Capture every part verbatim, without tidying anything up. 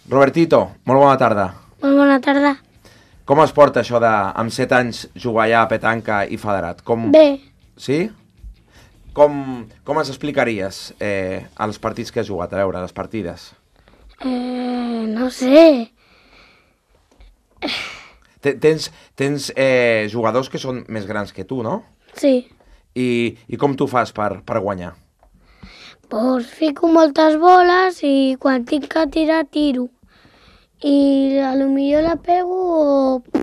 Robertito, molt bona tarda. Molt bona tarda. Com es porta això de, amb set anys, jugar allà a petanca i federat? Com... Bé. Sí? Com, com es explicaries eh, els partits que has jugat? A veure, les partides. Eh, no sé. Tens, tens eh, jugadors que són més grans que tu, no? Sí. I, i com tu fas per, per guanyar? Pues fico moltes boles i quan tinc que tirar, tiro. I a lo millor la pego o...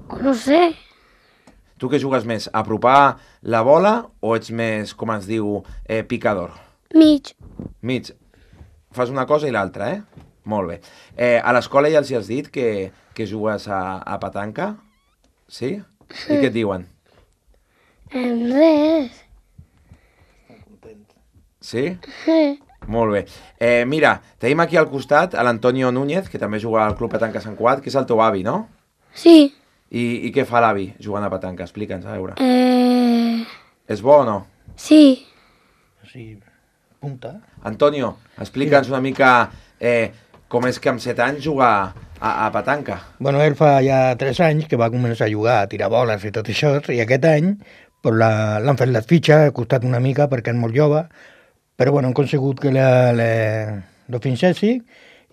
o no sé. Tu què jugues més? Apropar la bola o ets més, com es diu, eh, picador? Mig. Mig. Fas una cosa i l'altra, eh? Molt bé. Eh, a l'escola ja els hi has dit que, que jugues a, a petanca? Sí? I què et diuen? En res. Sí? Sí. Molt bé. Eh, mira, tenim aquí al costat a l'Antonio Núñez, que també juga al Club Petanca Sant Cugat, que és el teu avi, no? Sí. I, i què fa l'avi jugant a petanca? Explica'ns, a veure. Eh... És bo o no? Sí. Sí, punta. Antonio, explica'ns una mica eh, com és que amb set anys jugar a, a petanca. Bueno, ell fa ja tres anys que va començar a jugar, a tirar boles i tot això, i aquest any pues, la- l'han fet les fitxes, ha costat una mica perquè és molt jove, però bueno, han consegut que la, la, lo finxessi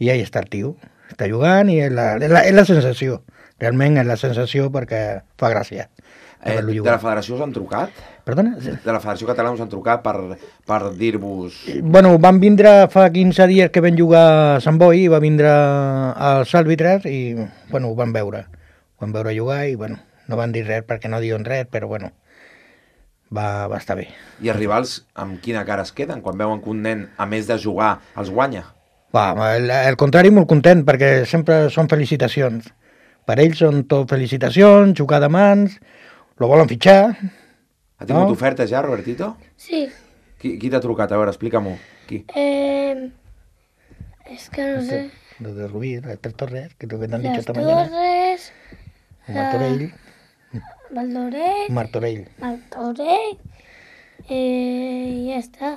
i ahí està el tio. Està jugant i és la, és la, és la sensació. Realment és la sensació perquè fa gràcia. Eh, Haver-lo de jugar. la federació us han trucat? Perdona? De la federació catalana us han trucat per, per dir-vos... Bueno, van vindre fa quinze dies que vam jugar a Sant Boi, va vindre els àrbitres i, bueno, ho van veure. Ho van veure jugar i, bueno, no van dir res perquè no diuen res, però, bueno, va, va estar bé. I els rivals amb quina cara es queden quan veuen que un nen, a més de jugar, els guanya? Va, el, el contrari, molt content, perquè sempre són felicitacions. Per ells són tot felicitacions, jugar de mans, lo volen fitxar. Ha tingut No? ofertes ja, Robertito? Sí. Qui, qui t'ha trucat? A veure, explica-m'ho. Qui? Eh... És que no sé. Los de Rubí, las Tres Torres, que es lo que te han Las dicho esta mañana. Torres, Martorell, Valdoret, Martorell. Martorell, eh, i ja està.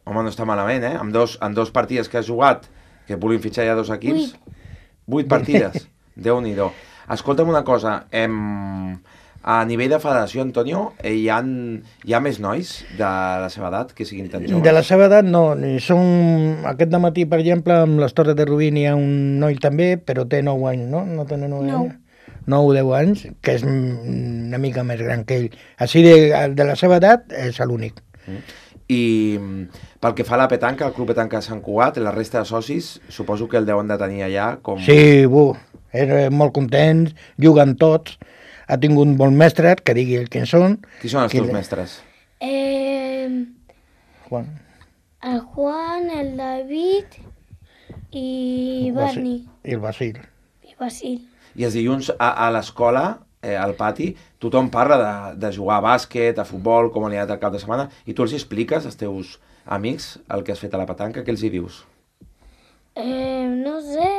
Home, no està malament, eh? Amb dos, amb dos partides que has jugat, que vulguin fitxar ja dos equips. Vuit partides. Déu-n'hi-do. Escolta'm una cosa, em... a nivell de federació, Antonio, eh, hi, ha, hi ha més nois de la seva edat que siguin tan joves? De la seva edat no, ni són... Aquest dematí, per exemple, amb les Torres de Rubí n'hi ha un noi també, però té nou anys, no? No té nou Nou. anys? nou o deu anys, que és una mica més gran que ell. Així de, de la seva edat és l'únic. Mm. I mm, pel que fa a la petanca, el Club Petanca Sant Cugat, la resta de socis, suposo que el deuen de tenir allà com... Sí, bu, és molt contents, juguen tots, ha tingut bons mestres, que digui el qui són. Qui són els Qui teus le- mestres? Eh, Juan. el Juan, el David i Barney I el Basil. i Basil. I els dilluns a, a l'escola, eh, al pati, tothom parla de, de jugar a bàsquet, a futbol, com li ha anat el cap de setmana, i tu els expliques als teus amics el que has fet a la petanca, què els hi dius? Eh, no sé,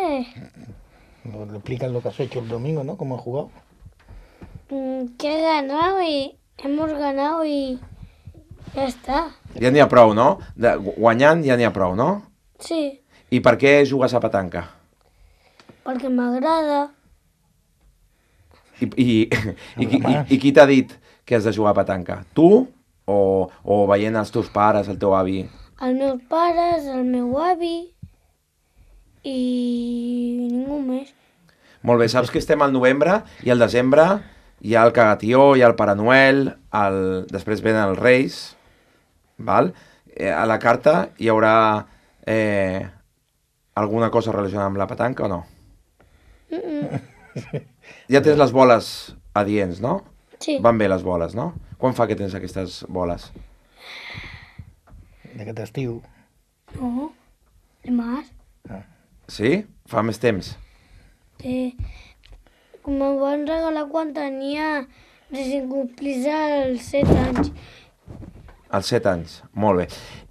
Le explican lo que has hecho el domingo, ¿no? Cómo has jugado. mm, que he ganado y hemos ganado y ya está. Ja n'hi ha prou, no? De, guanyant ja n'hi ha prou, no? Sí, I per què jugues a petanca? porque m'agrada. I, i, i, i, i, i qui t'ha dit que has de jugar a petanca? Tu o, o veient els teus pares, el teu avi? Els meus pares, el meu avi i ningú més. Molt bé, saps que estem al novembre i al desembre hi ha el Cagatió, hi ha el Pare Noel, el... després venen els Reis, val? Eh, a la carta hi haurà eh, alguna cosa relacionada amb la petanca o no? Mm -mm. Ja tens les boles adients, no? Sí, Van bé les boles, no? Quan fa que tens aquestes boles? D'aquest estiu. no, dimarts. Sí? Fa més temps? Eh, com em van regalar quan tenia recent complís els set anys. Als set anys. Molt bé.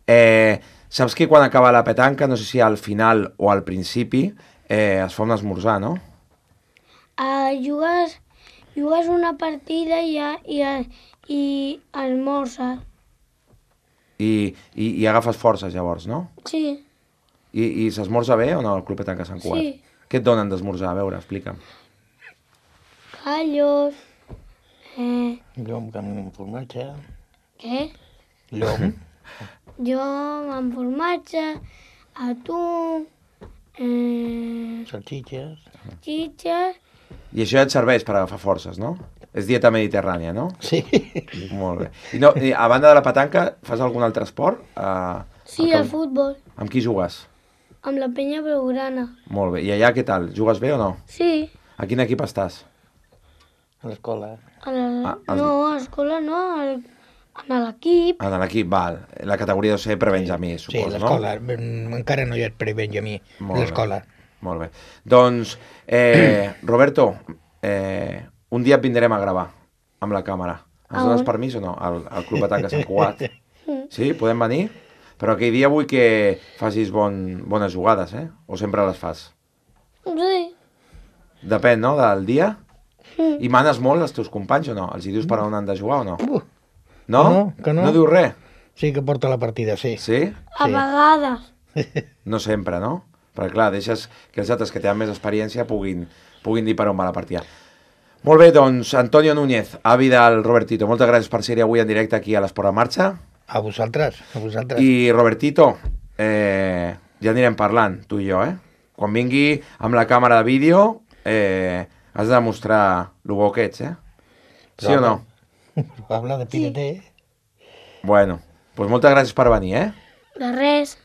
Eh, saps que quan acaba la petanca, no sé si al final o al principi, eh, es fa un esmorzar, no? Uh, jugues, jugues una partida i, a- i, a- i almorces. I, i, i agafes forces llavors, no? Sí, I, i s'esmorza bé o no al Club Petanca Sant Cugat? Sí. Què et donen d'esmorzar? A veure, explica'm. Callos, eh, Llom amb formatge. què? Llom. Jo amb formatge, atún, eh, Salxitxes. xitxes, I això ja et serveix per agafar forces, no? És dieta mediterrània, no? Sí. Molt bé. I, no, i a banda de la petanca, fas algun altre esport? Uh, sí, el futbol, Amb qui jugues? amb la penya blaugrana. Molt bé. I allà què tal? Jugues bé o no? Sí, A quin equip estàs? A l'escola. a la, Ah, els- no, a l'escola no, al, a l'equip. En l'equip, val. La categoria deu ser prebenjamí, Sí, suposo, no? l'escola. Mm, Encara no hi ha pre-Benjamí. Molt bé. L'escola. Molt bé. Doncs, eh, Roberto, eh, un dia et vindrem a gravar amb la càmera. Ens A dones on? permís o no? Al, al Club Petanca Sant Cugat. Sí? Podem venir? Però aquell dia vull que facis bon, bones jugades, eh? O sempre les fas? Sí, Depèn, no?, del dia. I manes molt els teus companys o no? Els hi dius per on han de jugar o no? Uh, No? que no, que no. No diu res? sí que porta la partida, sí. Sí? a Sí. vegades. No sempre, no? Perquè, clar, deixes que els altres que tenen més experiència puguin, puguin dir per on va la partida. Molt bé, doncs, Antonio Núñez, avi del Robertito, moltes gràcies per ser avui en directe aquí a l'Esport en Marxa. A vosaltres, a vosaltres. I, Robertito, eh, ja anirem parlant, tu i jo, eh? Quan vingui amb la càmera de vídeo, eh, has de demostrar lo bo que ets, eh? Sí o no? Habla de pirete. Bueno, doncs moltes gràcies per venir, eh? De res.